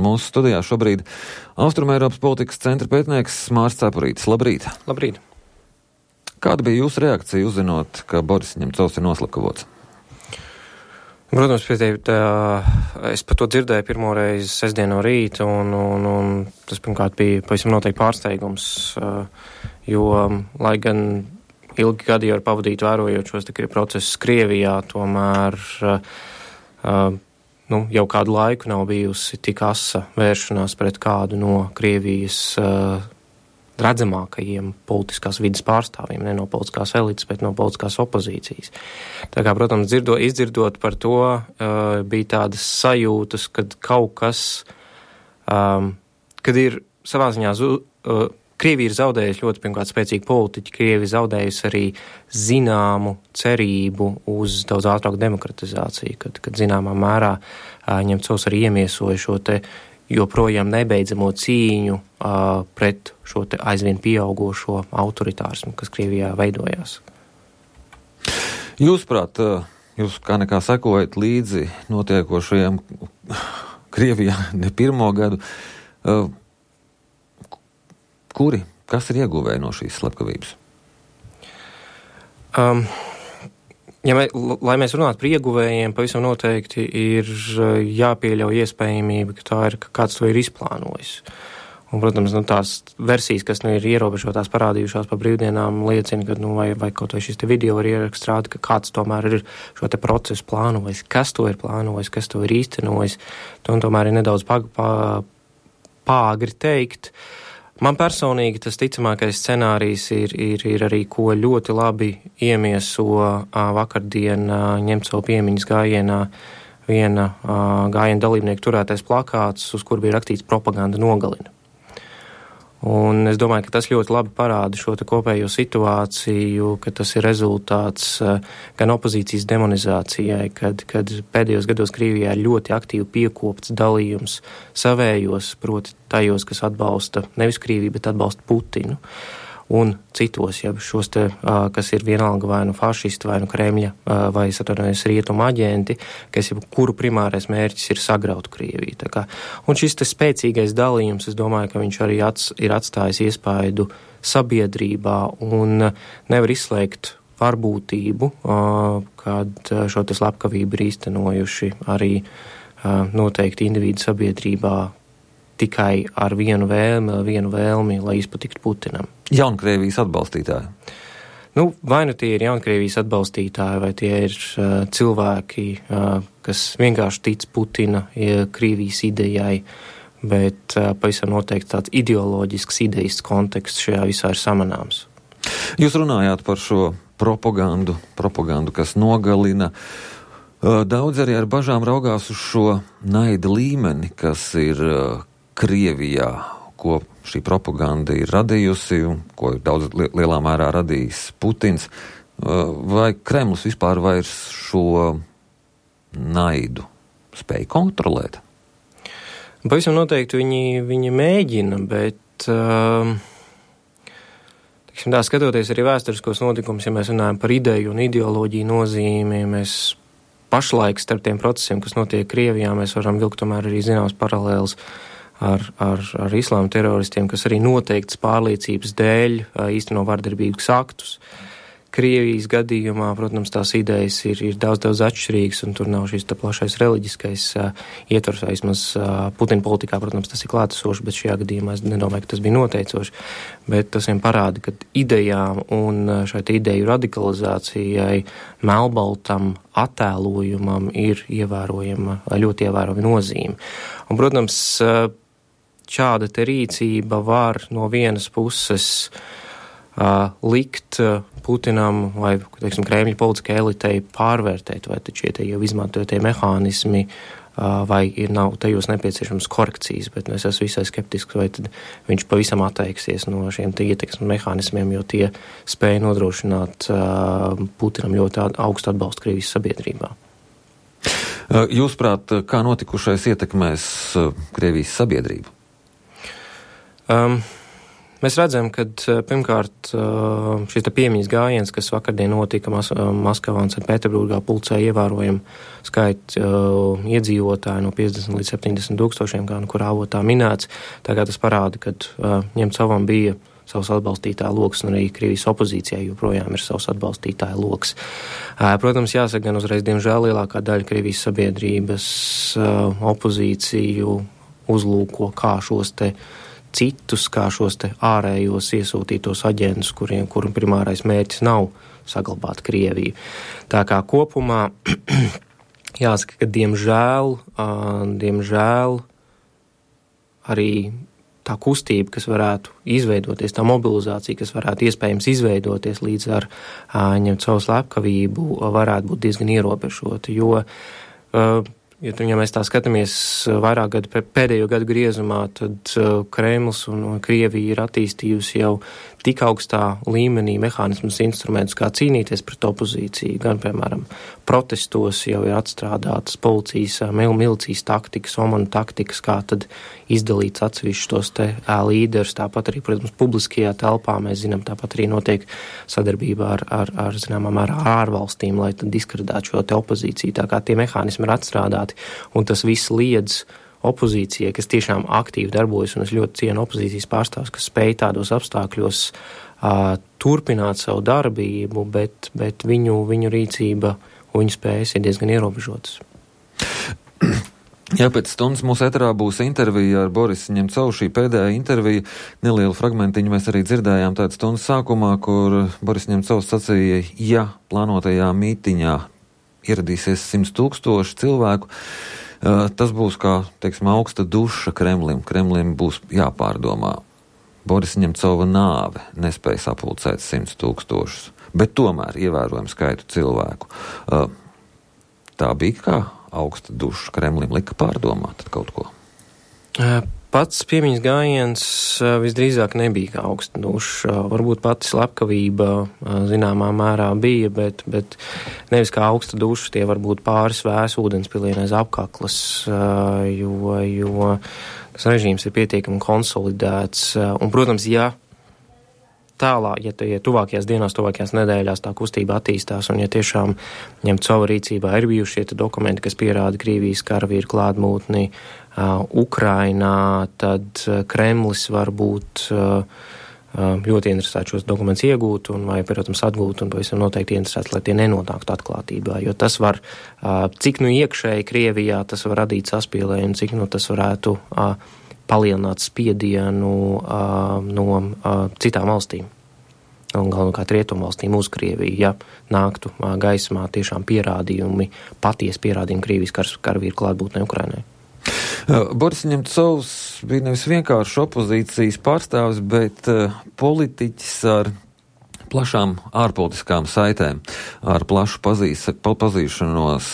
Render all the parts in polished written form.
mūsu studijā šobrīd Austrumeiropas politikas centra pētnieks Māris Cepurītis. Labrīt! Labrīt! Kāda bija jūsu reakcija uzzinot, ka Boris Ņemcovs ir noslapkavots? Protams, es par to dzirdēju pirmoreiz sestdien no rīta, un tas pirmkārt bija pavisam noteikti pārsteigums, jo, lai gan ilgi gadi jau ir pavadīti vērojot šos procesus Krievijā, tomēr jau kādu laiku nav bijusi tik asa vēršanās pret kādu no Krievijas redzamākajiem politiskās vidas pārstāvjiem, ne no politiskās elites, bet no politiskās opozīcijas. Tā kā, protams, izdzirdot par to, bija tādas sajūtas, kad kaut kas, kad ir savā ziņā, Krievija ir zaudējusi ļoti pirmkārt spēcīgu politiķu, Krievija zaudējusi arī zināmu cerību uz daudz ātrāku demokratizāciju, kad zināmā mērā Ņemcovs arī iemiesoja šo te joprojām nebeidzamo cīņu pret šo te aizvien pieaugošo autoritārismu, kas Krievijā veidojās. Jūsuprāt, jūs kā nekā sekojat līdzi notiekošajiem Krievijā ne pirmo gadu, kas ir ieguvēji no šīs slepkavības? Lai mēs runātu par ieguvējiem, pavisam noteikti ir jāpieļauj iespējamība, ka kāds to ir izplānojis. Un, protams, tās versijas, kas ir ierobežotās parādījušās pa brīvdienām, liecina, ka vai kaut vai šis te video var ierakstrāt, ka kāds tomēr ir šo te procesu plānojis, kas to ir plānojis, kas to ir īstenojis. To tomēr ir nedaudz pāgri teikt. Man personīgi tas ticamākais scenārijs ir arī, ko ļoti labi iemieso vakardien Ņemcova piemiņas gājienā viena gājiena dalībnieku turētais plakāts, uz kur bija rakstīts propaganda nogalina. Un es domāju, ka tas ļoti labi parāda šo te kopējo situāciju, ka tas ir rezultāts gan opozīcijas demonizācijai, kad pēdējos gados Krievijā ir ļoti aktīvi piekopts dalījums savējos, proti tajos, kas atbalsta nevis Krieviju, bet atbalsta Putinu. Un citos, ja šos te, kas ir vienalga vai nu fašisti, vai nu Kremļa, vai rietumu aģenti, kas jau kuru primārais mērķis ir sagraut Krieviju. Tā kā. Un šis te spēcīgais dalījums, es domāju, ka viņš arī ir atstājis iespaidu sabiedrībā un nevar izslēgt varbūtību, kad šo te slepkavību ir īstenojuši arī noteikti individu sabiedrībā tikai ar vienu vēlmi, lai izpatiktu Putinam. Jaunkrievijas atbalstītāji? Vai nu tie ir Jaunkrievijas atbalstītāji, vai tie ir cilvēki, kas vienkārši tic Putina Krievijas idejai, bet pavisam noteikti tāds ideoloģisks idejas konteksts šajā visā ir samanāms. Jūs runājāt par šo propagandu, kas nogalina. Daudz arī ar bažām raugās uz šo naida līmeni, kas ir Krievijā, ko šī propaganda ir radījusi un ko ir daudz lielā mērā radījis Putins. Vai Kremlis vispār vairs šo naidu spēj kontrolēt? Pavisam noteikti viņi mēģina, bet skatoties arī vēsturiskos notikumus, ja mēs runājam par ideju un ideoloģiju nozīmi, mēs pašlaik starp tiem procesiem, kas notiek Krievijā, mēs varam vilkt tomēr arī zināmas paralēles ar islāma teroristiem, kas arī noteikts pārliecības dēļ īsteno vardarbīgus aktus. Krievijas gadījumā, protams, tās idejas ir daudz atšķirīgas, un tur nav šīs plašais reliģiskais ietvars, vismaz Putina politikā, protams, tas ir klātesoši, bet šajā gadījumā es nedomāju, ka tas bija noteicoši, bet tas vien parāda, ka idejām un šai ideju radikalizācijai, melnbaltam attēlojumam ir ļoti ievērojama nozīme. Un, protams, šāda te rīcība var no vienas puses likt Putinam vai, teiksim, Kremļa politiskai elitei pārvērtēt, vai taču tie jau izmantotie mehānismi, vai nav tajos nepieciešams korekcijas, bet es esmu visai skeptisks, vai tad viņš pavisam atteiksies no šiem te ietekmes mehānismiem, jo tie spēja nodrošināt Putinam ļoti augstu atbalstu Krievijas sabiedrībā. Jūsuprāt, kā notikušais ietekmēs Krievijas sabiedrību? Mēs redzam, ka pirmkārt šis piemiņas gājiens, kas vakardien notika Maskavā un Sanktpēterburgā, pulcēja ievērojumu skaitu iedzīvotāju no 50 līdz 70 tūkstošiem, kā kurā avotā minēts. Tagad tas parāda, ka Ņemcovam bija savs atbalstītāja loks, un arī Krievijas opozīcijai joprojām ir savs atbalstītāja loks. Protams, jāsaka gan uzreiz, diemžēl lielākā daļa Krievijas sabiedrības opozīciju uzlūko kā šos te citus, kā šos te ārējos iesūtītos aģentus, kuru primārais mērķis nav saglabāt Krieviju. Tā kā kopumā jāsaka, ka diemžēl arī tā kustība, kas varētu izveidoties, tā mobilizācija, kas varētu iespējams izveidoties līdz ar Ņemcova slepkavību, varētu būt diezgan ierobežota, jo ja mēs tā skatāmies vairāk pēdējo gadu griezumā, tad Kremlis un Krievija ir attīstījusi jau tik augstā līmenī mehānismus, instrumentus, kā cīnīties pret opozīciju. Gan, piemēram, protestos jau ir atstrādātas policijas, milicijas taktikas, omanu taktikas, kā tad izdalīts atsevišķus tos te līderus. Tāpat arī, protams, publiskajā telpā mēs zinām, tāpat arī notiek sadarbībā ar zināmā mērā ārvalstīm, lai tad diskreditētu šo te opozīciju. Tā kā tie mehānismi ir atstrādāti, un tas viss liedz opozīcijai, kas tiešām aktīvi darbojas, un es ļoti cienu opozīcijas pārstāvus, kas spēj tādos apstākļos turpināt savu darbību, bet viņu rīcība un viņu spējas ir diezgan ierobežotas. Jā, pēc stundas mūsu eterā būs intervija ar Borisu Ņemcovu. Šī pēdējā intervija, nelielu fragmentiņu mēs arī dzirdējām tādu stundas sākumā, kur Boris Ņemcovs sacīja, ja plānotajā mītiņā ieradīsies 100 000 cilvēku, tas būs kā, teiksim, augsta duša Kremlim. Kremlim būs jāpārdomā. Borisa Ņemcova nāve nespēja sapulcēt 100 000, bet tomēr ievērojam skaitu cilvēku. Tā bija kā augsta duša Kremlim, lika pārdomāt kaut ko? Pats piemiņas gājiens visdrīzāk nebija kā augsta duša. Varbūt pati slepkavība zināmā mērā bija, bet nevis kā augsta duša, tie varbūt pāris vēs ūdenspilieni aiz apkaklas, jo tas režīms ir pietiekami konsolidēts. Un, protams, ja tuvākajās dienās, tuvākajās nedēļās tā kustība attīstās, un ja tiešām Ņemcova rīcībā ir bijuši šie dokumenti, kas pierāda Krievijas karavīru klātbūtni Ukrainā, tad Kremlis var būt ļoti interesēts šos dokumentus iegūt un vai, protams, atgūt, un pavisam noteikti interesēts, lai tie nenonāktu atklātībā, jo tas var, cik iekšēji Krievijā tas var radīt saspīlējumu, cik tas varētu palielināt spiedienu no citām valstīm. Un galvenokārt rietumvalstīm uz Krieviju, ja nāktu gaismā tiešām patiesi pierādījumi Krievijas karavīru klātbūtnē Ukrainai. Boris Ņemcovs bija nevis vienkārši opozīcijas pārstāvis, bet politiķis ar plašām ārpolitiskām saitēm, ar plašu pazīšanos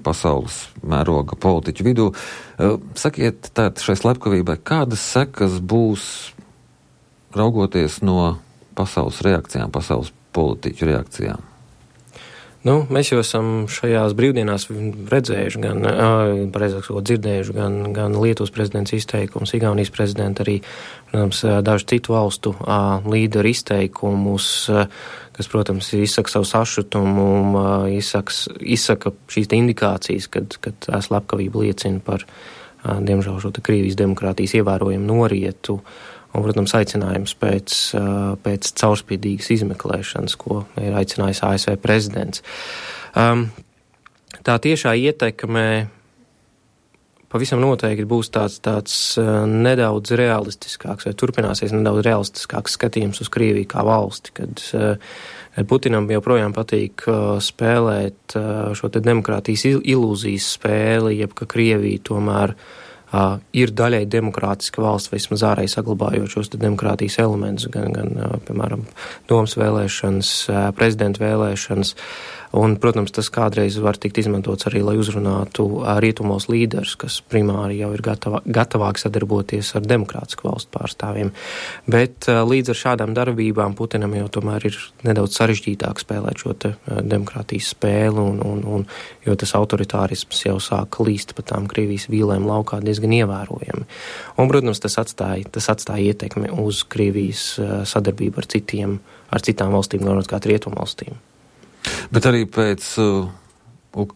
pasaules mēroga politiķu vidū. Sakiet, tātad šai slepkavībai, kādas sekas būs raugoties no pasaules reakcijām, pasaules politiķu reakcijām? Mēs jau esam šajās brīvdienās redzējuši, dzirdējuši gan Lietuvas prezidents izteikums, Igaunijas prezidenta arī, protams, dažu citu valstu līderu izteikumus, kas, protams, izsaka savu sašutumu, izsaka šīs indikācijas, kad slepkavība liecina par, diemžēl, šo Krievijas demokrātijas ievērojumu norietu. Un, protams, aicinājums pēc caurspīdīgas izmeklēšanas, ko ir aicinājis ASV prezidents. Tā tiešā ietekme pavisam noteikti būs tāds nedaudz realistiskāks, vai turpināsies nedaudz realistiskāks skatījums uz Krieviju kā valsti, kad Putinam joprojām patīk spēlēt šo te demokrātijas ilūzijas spēli, jeb ka Krievija tomēr ir daļai demokrātiska valsts, vai vismaz ārēji saglabājot šos demokrātijas elementus, gan piemēram, domas vēlēšanas, prezidenta vēlēšanas. Un, protams, tas kādreiz var tikt izmantots arī, lai uzrunātu rietumos līderus, kas primāri jau ir gatavāk sadarboties ar demokrātisku valstu pārstāvjiem. Bet līdz ar šādām darbībām Putinam jau tomēr ir nedaudz sarežģītāk spēlēt šo demokrātijas spēli, jo tas autoritārisms jau sāk līst pa tām Krievijas vīlēm laukā diezgan ievērojami. Un, protams, tas atstāja ietekmi uz Krievijas sadarbību ar citām valstīm, galvenokārt rietumvalstīm. Bet arī pēc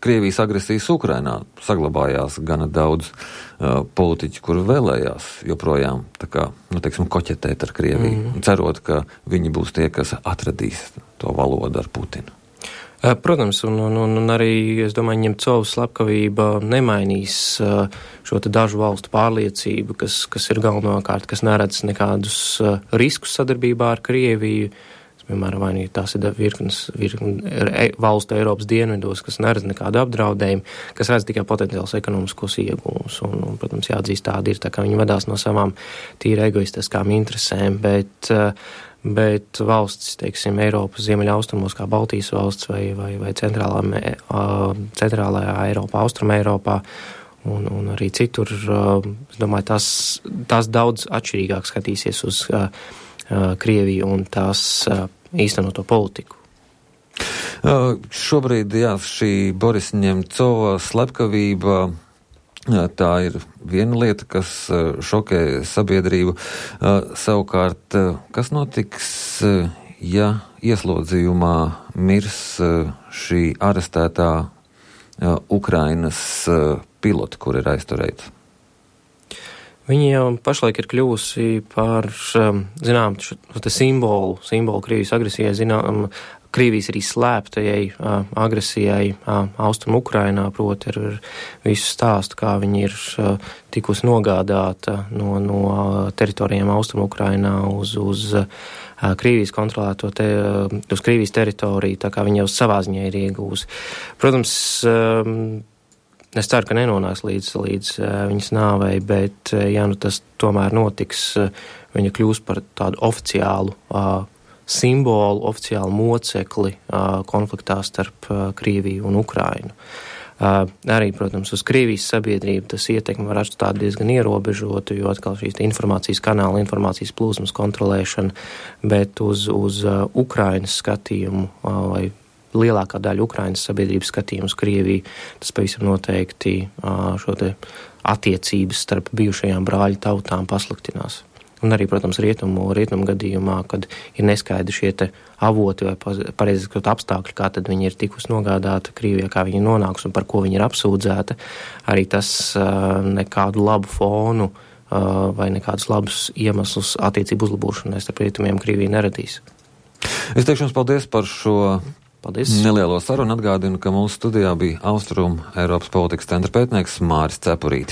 Krievijas agresijas Ukrainā saglabājās gana daudz politiķu, kuri vēlējās joprojām koķetēt ar Krieviju, cerot, ka viņi būs tie, kas atradīs to valodu ar Putinu. Protams, un arī, es domāju, Ņemcovas slepkavība nemainīs šo te dažu valstu pārliecību, kas ir galvenokārt, kas neredz nekādus riskus sadarbībā ar Krieviju. Piemēram, vai tās ir virknes valstu Eiropas dienvidos, kas neredz nekādu apdraudējumu, kas redz tikai potenciāls ekonomiskos ieguvumus. Un, protams, jāatzīst, tādi ir, tā kā viņi vadās no savām tīri egoistiskām interesēm, bet valstis, teiksim, Eiropas ziemeļaustrumos, kā Baltijas valsts vai centrālajā Eiropā, Austruma Eiropā, un arī citur, es domāju, tās daudz atšķirīgāk skatīsies uz Krieviju un tās īstenoto politiku. Šobrīd, šī Borisa Ņemcova slepkavība, tā ir viena lieta, kas šokē sabiedrību. Savukārt, kas notiks, ja ieslodzījumā mirs šī arestētā Ukrainas pilota, kur ir aizturēta? Viņa jau pašlaik ir kļuvusi par, simbolu Krievijas agresijai, Krievijas arī slēptajai agresijai Austrum Ukrainā, proti ar visu stāstu, kā viņa ir tikusi nogādāta no teritorijām Austrum Ukrainā uz Krievijas kontrolēto uz Krievijas teritoriju, tā kā viņa jau savā ziņā ir iegūsi. Protams, es ceru, ka nenonāks līdz viņas nāvei, bet, tas tomēr notiks, viņa kļūs par tādu oficiālu simbolu, oficiālu mocekli konfliktā starp Krieviju un Ukrainu. Arī, protams, uz Krievijas sabiedrību tas ietekmi var atstāt diezgan ierobežotu, jo atkal šīs informācijas kanāla, informācijas plūsmas kontrolēšana, bet uz Ukrainas skatījumu vai lielākā daļa Ukrainas sabiedrības skatījums Krieviju, tas pavisam noteikti šo te attiecības starp bijušajām brāļu tautām pasliktinās. Un arī, protams, rietumu gadījumā, kad ir neskaidri šie te avoti vai pareizi sakot apstākļi, kā tad viņi ir tikus nogādāta Krievijā, kā viņi nonāks un par ko viņi ir apsūdzēta, arī tas nekādu labu fonu vai nekādus labus iemeslus attiecību uzlabošanai starp rietumiem Krieviju neradīs. Es teikšu jums paldies par šo Paldies. Nelielo sarunu. Atgādinu, ka mūsu studijā bija Austrum Eiropas politikas centra pētnieks Māris Cepurītis.